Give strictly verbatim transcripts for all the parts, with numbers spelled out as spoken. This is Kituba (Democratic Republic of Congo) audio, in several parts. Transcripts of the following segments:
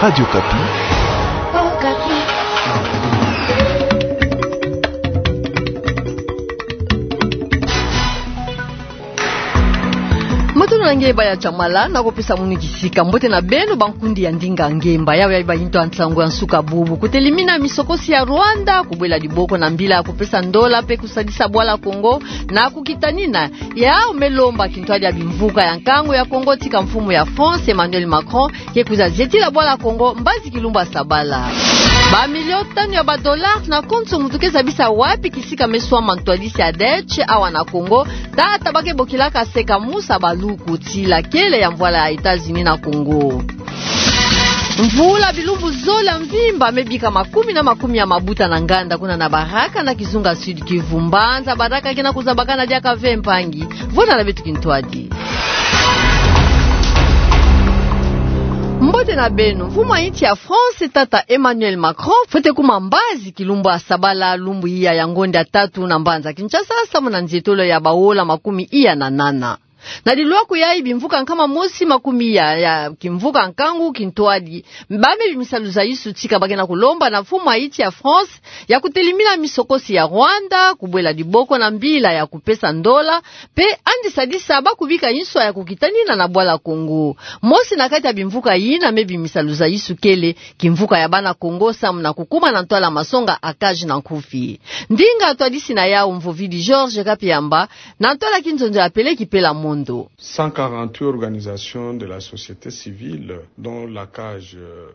Radio Okapi. Matondo na nge baya Chamala, na kupesa munu kisika. Mbote na beno bankundi ya ndinga ngemba. Yawe ya iba into a nsangu ya nsuka bubu. Kutelimina misokosi ya Rwanda, kubwela diboko na mbila ya kupesa ndola mpe kusadisa bwala Congo, na kukitanina yawu me lomba kintwadi ya bimvuka ya nkangu ya Congo tika mfumu ya France, Emmanuel Macron, ke kwiza zietila bwala Congo mbazi kilumbu ya sabala. Ba million tanu ya ba dollars na konso muntu ke zabisa wapi kisika me swama ntwadisi ya Dutch awa na Congo, tata ba ke bokilaka Seka Musa Baluku, tila kele ya mvwala ya États-Unis na Congo. Mvula bilumbu zole ya mvimba me bika makumi na makumi ya mabuta na nganda kuna na Baraka na kizunga Sud-Kivu. Mbanza Baraka ke na kuzabakana diaka ve mpangi. Vwanda na beto kintwadi. Mbote na beno. Mfumu ya insi ya France, tata Emmanuel Macron, fwete kuma mbazi kilumbu ya sabala, lumbu iya ya ngonde ya tatu na mbanza Kinshasa, samu na nzietolo ya baola makumi iya na nana. Na dilwaku yayi, bimvuka nkama mosi makumi iya ya kimvuka nkangu kintwadi ba me bimisa luzaisu tika ba ke na kulomba na mfumu ya insi ya France ya kutelimina misokosi ya Rwanda, kubwela diboko na mbila ya kupesa ndola, mpe yandi sadisa ba kubika inswa ya kukitanina na bwala Congo. Mosi na kati ya bimvuka yina me bimisa luzaisu kele kimvuka ya bana Congo samu na kukuma na ntwala masonga ya cage na nkufi. Ndinga ntwadisi na yawu Mvovidi Georges Kapiamba, na ntwala kinzonzo ya Peleki Pela Mondo. Cent quarante-huit organisations de la société civile, dont la cage, euh,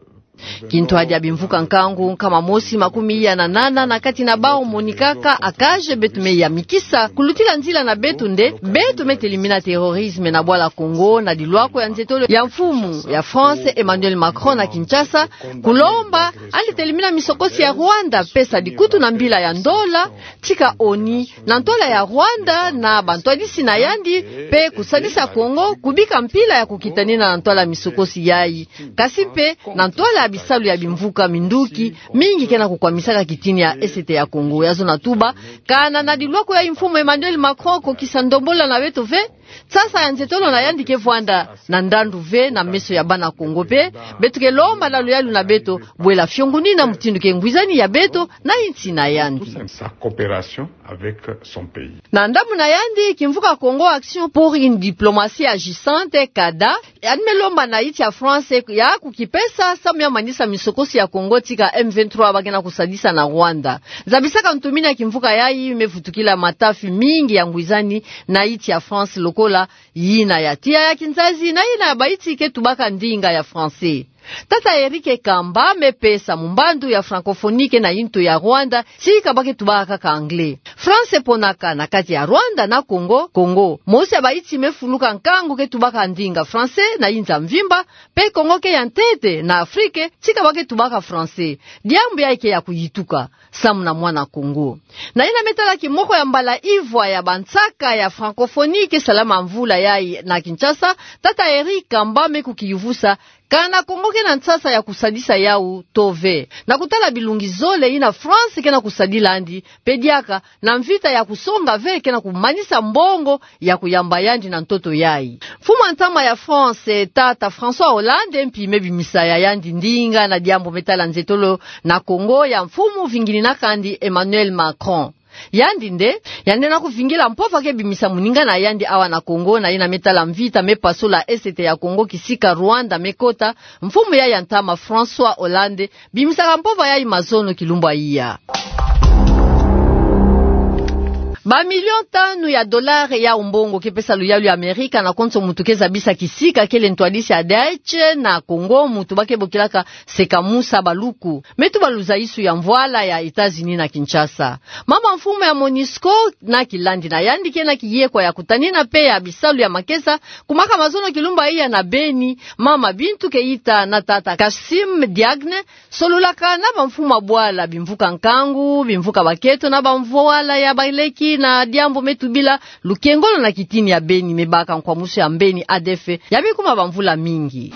Kintwadi ya bimvuka nkangu nkama mosi makumi iya na nana, na kati na bawu monikaka a cage, beto me yamikisa kulutila nzila na beto nde beto me telimina terrorisme na bwala Congo, na dilwaku ya nzietolo ya mfumu ya France Emmanuel Macron na Kinshasa, kulomba yandi telimina misokosi ya Rwanda, pesa dikutu na mbila ya ndola tika ONU na ntwala ya Rwanda na bantwadisi na yandi, mpe kusadisa Congo kubika mpila ya kukitanina na ntwala ya misokosi yayi, kasi mpe na ntwala ya bisalu ya bimvuka minduki mingi ke na kukwamisaka kitini ya Est ya Congo. Ya zona tuba, kana na dilwaku ya mfumu Emmanuel Macron kokisa ndombolo na beto ve, nsasa ya nzietolo na yandi ke vwanda na ndandu ve na meso ya bana Congo, mpe beto ke lomba na luyalu na beto bwela fiongonina mutindu ke ngwizani ya beto na insi na yandi. Sa coopération avec son pays. Na ndambu na yandi, kimvuka Congo Action pour une diplomatie agissante, CADA, yandi me lomba na insi ya France ya kukipesa samu ya manisa misokosi ya Congo tika M vingt-trois ba ke na kusadisa na Rwanda. Zabisaka ntumini ya kimvuka yayi me vutukila matafi mingi ya ngwizani na insi ya France, lokola yina ya tiya ya kinzazi na yina ya bainsi ke tubaka ndinga ya français. Tata Eric Kamba me pesa mumbandu ya francophonie ke na yintu ya Rwanda, tika ba ke tubaka kaka anglais. France eponaka na kati ya Rwanda na Congo, Congo. Mosi ya bainsi me fuluka nkangu ke tubaka ndinga français na yinza mvimba, mpe Congo ke ya ntete na Afrique tika ba ke tubaka français. Diambu yayi ke ya kuyituka samu na mwana Congo. Na yina me tala kimoko ya mbala ivwa ya bansaka ya francophonie ke salama mvula yayi na Kinshasa, tata Eric Kamba me kukiyuvusa kana Congo ke na nsasa ya kusadisa yawu to ve. Na kutala bilungi zole yina France ke na kusadila yandi, mpe diaka na mvita ya kusonga ve ke na kumanisa mbongo ya kuyamba yandi na ntoto yayi. Mfumu a ntama ya France, tata François Hollande, mpi me bimisa ya yandi ndinga na diambu me tala nzietolo na Congo ya mfumu vingininaka yandi Emmanuel Macron. Yandi nde, yandi na kuvingila mpova ke bimisa moninga na yandi awa na Congo, na yina me tala mvita me pasola Est ya Congo kisika Rwanda me kota, mfumu yayi ya ntama François Hollande, bimisaka mpova yayi mazono kilumbu ya iya. Ba million tanu ya dollars ya mbongo ke pesa luyalu ya Amerika na konso muntu ke zabisa kisika kele ntwadisi ya Dutch na Congo, muntu ba ke bokilaka Seka Musa Baluku. Me tuba luzaisu ya mvwala ya États-Unis na Kinshasa. Mama mfumu ya MONUSCO na kilandi na yandi ke na kiyekwa ya kutanina mpe ya bisalu ya makesa, kumaka mazono kilumbu ya iya na Beni, mama Bintou Keita na tata Kassim Diagne, sololaka na bamfumu ya bwala, bimvuka nkangu, bimvuka bakento na bamvwala ya baleki na diambu me tubila lukengolo na kitini ya Beni, me baka nkwamusu ya mbeni A D F ya me kuma bamvula mingi.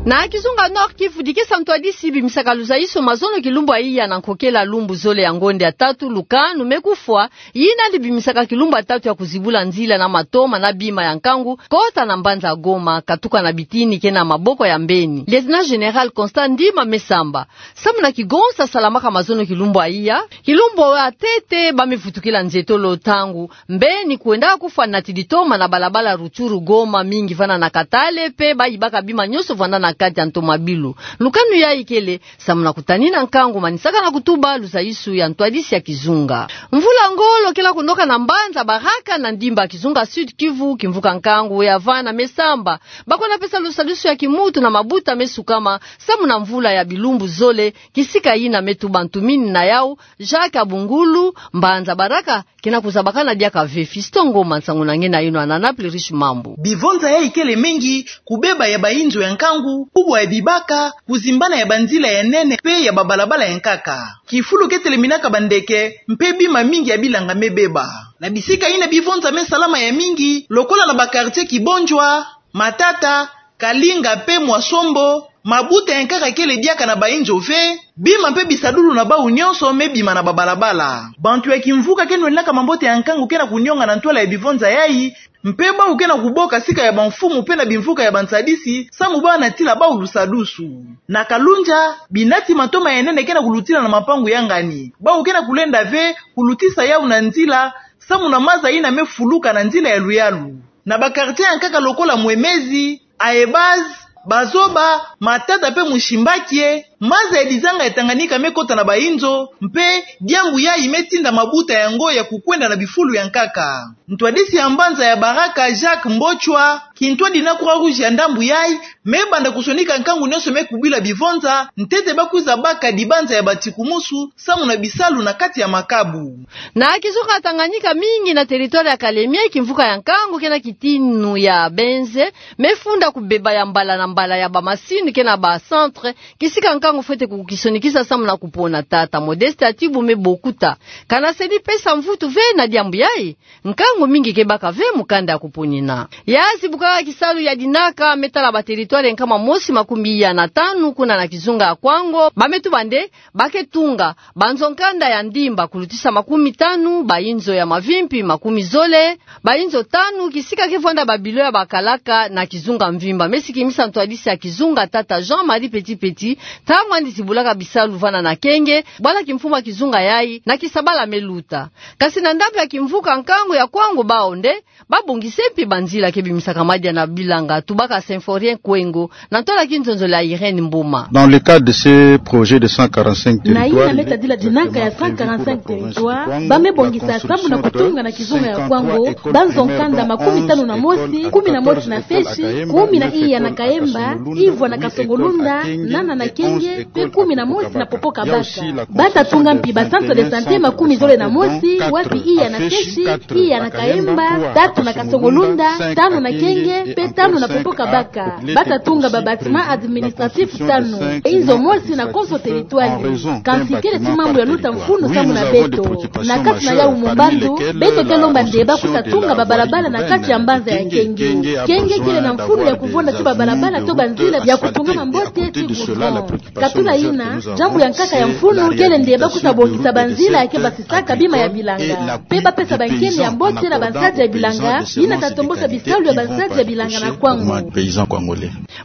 Na kizunga Nord-Kivu, dikesa ntwadisi bimisaka luzaiso mazono kilumbu ya iya na nkokela lumbu zole ya ngonde ya tatu, lukanu me kufwa, yina dibimisaka kilumbu ya tatu ya kuzibula nzila na matoma na bima ya nkangu, kota na mbanza Goma, katuka na bitini ke na maboko ya mbeni. Lieutenant-général Constant Ndima me samba. Samu na kigonsa salamaka mazono kilumbu ya iya, kilumbu ya ntete ba me vutukila nzietolo ntangu mbeni kwenda kufwa nati ditoma na balabala Rutshuru-Goma, mingi vanda na Katale, mpe ba yibaka bima nyonso vanda na kati ya ntomabilu. Lukanu yayi kele samu na kutanina nkangu manisaka na kutuba luzaiso ya ntwadisi ya kizunga. Mvula ngolo kele kunoka na mbanza Baraka na ndimba kizunga Sud-Kivu, kimvuka nkangu ya vana me samba. Ba kwenda pesa lusadisu ya kimuntu na mabuta me sukama samu na mvula ya bilumbu zole, kisika yina me tuba ntumini na yau, Jacques Abungulu. Mbanza Baraka kena kuzabakana diaka ve. Fiston Ngoma, nsangu na nge na yeno na Naples Riche Mambu. Bivonza yayi kele mengi, kubeba ya bainzo ya nkangu, kubwa ya bibaka, kuzimbana ya banzila ya nene mpe ya babalabala ya nkaka. Kifulu ke teleminaka bandeke, mpe bima mingi ya bilanga me beba. Na bisika yina bivonza me salama ya mingi, lokola na ba quartier Kibondjwa, Matata, Kalinga mpe Mwasombo, mabuta ya nkaka kele diaka na bainzo ve, bima mpe bisadulu na bau nyonso me bima na babalabala. Bantu ya kimvuka ke nweninaka mambote ya nkangu kena kunionga na ntwala ya bivonza yayi, mpe bau kena kuboka sika ya bamfumu mpe na bimvuka ya bansadisi, samu bau na tila bau lusadusu. Na Kalundja, binati matoma ya nene kena kulutila na mapangu ya ngani. Bau kena kulenda ve kulutisa yau na nzila, samu na maza yina me fuluka na nzila ya luyalu. Na ba quartier ya nkaka lokola Mwemezi, Aebaz, Bazoba, Matata mpe Mushimbakie, maza ya dizanga ya Tanganyika me kota na bainzo, mpe diambu yayi me tinda mabuta yango ya kukwenda na bifulu ya nkaka. Ntwadisi ya mbanza ya Baraka, Jacques Mbochwa, kintwadi na Croix-Rouge ya ndambu yayi, me banda kusonika nkangu nyonso me kubila bivonza, ntete ba kwiza baka dibanza ya batikumusu, samu na bisalu na kati ya makabu. Na kizunga Tanganyika, mingi na territoire ya Kalemie, kimvuka ya nkangu kena kitinu ya benze, me funda kubeba ya mbala na mbala ya bamasini kena ba centre, kisika nkangu fwete kukisonikisa samu na kupona. Tata Modeste Atibu me bokuta. Kana sedi pesa mvutu ve na diambu yayi, nkangu mingi ke baka ve mu kanda ya kuponina. Ya zibukaka kisalu ya dinaka, me tala ba territoire nkama mosi makumi iya na tanu kuna na kizunga ya Kwango, ba me tuba nde ba ke tunga banzo nkanda ya ndimba kulutisa makumi tanu, bainzo ya mavimpi makumi zole, bainzo tanu, kisika ke vwanda babilo ya bakalaka na kizunga mvimba. Me sikimisa ntwadisi ya kizunga, tata Jean-Marie Petit Petit, ntangu yandi zibulaka bisalu vana na Kenge, bwala kimfumu ya kizunga yayi na kisabala me luta. Kasi na ndambu ya kimvuka nkangu ya Kwango, bau nde ba bongisa mpi banzila ke bimisaka madia na bilanga, tubaka Symphorien Kwengo, na ntwala ya kinzonzolo ya Irène Mboma. Dans le cadre de ce projet de cent quarante-cinq territoires, na yina me tadila dinaka ya cent quarante-cinq territoires, ba me bongisa samu na kutunga na kizunga ya Kwango banzo nkanda makumi tanu na mosi, kumi na mosi na Feshi, kumi na iya na Kaemba, ivwa na Kasongolunda, nana na Kenge, mpe kumi na mosi na Popo-Kabaka. Ba ta tunga mpi ba centre de santé makumi zole na mosi, wapi iya na Feshi, iya na Kaemba, tatu na Kasongolunda, tanu na Kenge, mpe tanu na Popo-Kabaka. Ba ta tunga ba bâtiment administratif tanu, inzo mosi na konso territoire. Kansi kele ti mambu ya luta mfunu samu na beto. Na kati na yau mumbandu, beto ke lomba nde ba kwiza tunga babalabala na kati ya mbanza ya Kenge. Kenge kele na mfunu ya kuvonda ti babalabala to banzila ya kutungama mbote ti goudron. Katula yina, diambu ya nkaka ya mfunu kele nde ba kwiza bongisa banzila ya ke basisaka bima ya bilanga, mpe ba pesa bankeni ya mbote na bansadi ya bilanga, yina ta tombosa bisalu ya bansadi ya bilanga na Kwango.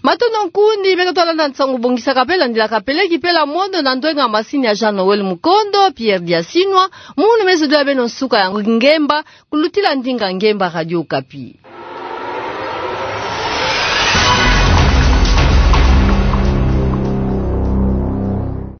Matondo nkundi, beno ta landa nsangu bongisaka mpe landilaka peleki pela mono na ndwenga masini ya Jean Noël Mukondo, Pierre Diasinwa, munu me zodila beno nsuka ya ngemba, kulutila ndinga ngemba Radio Okapi.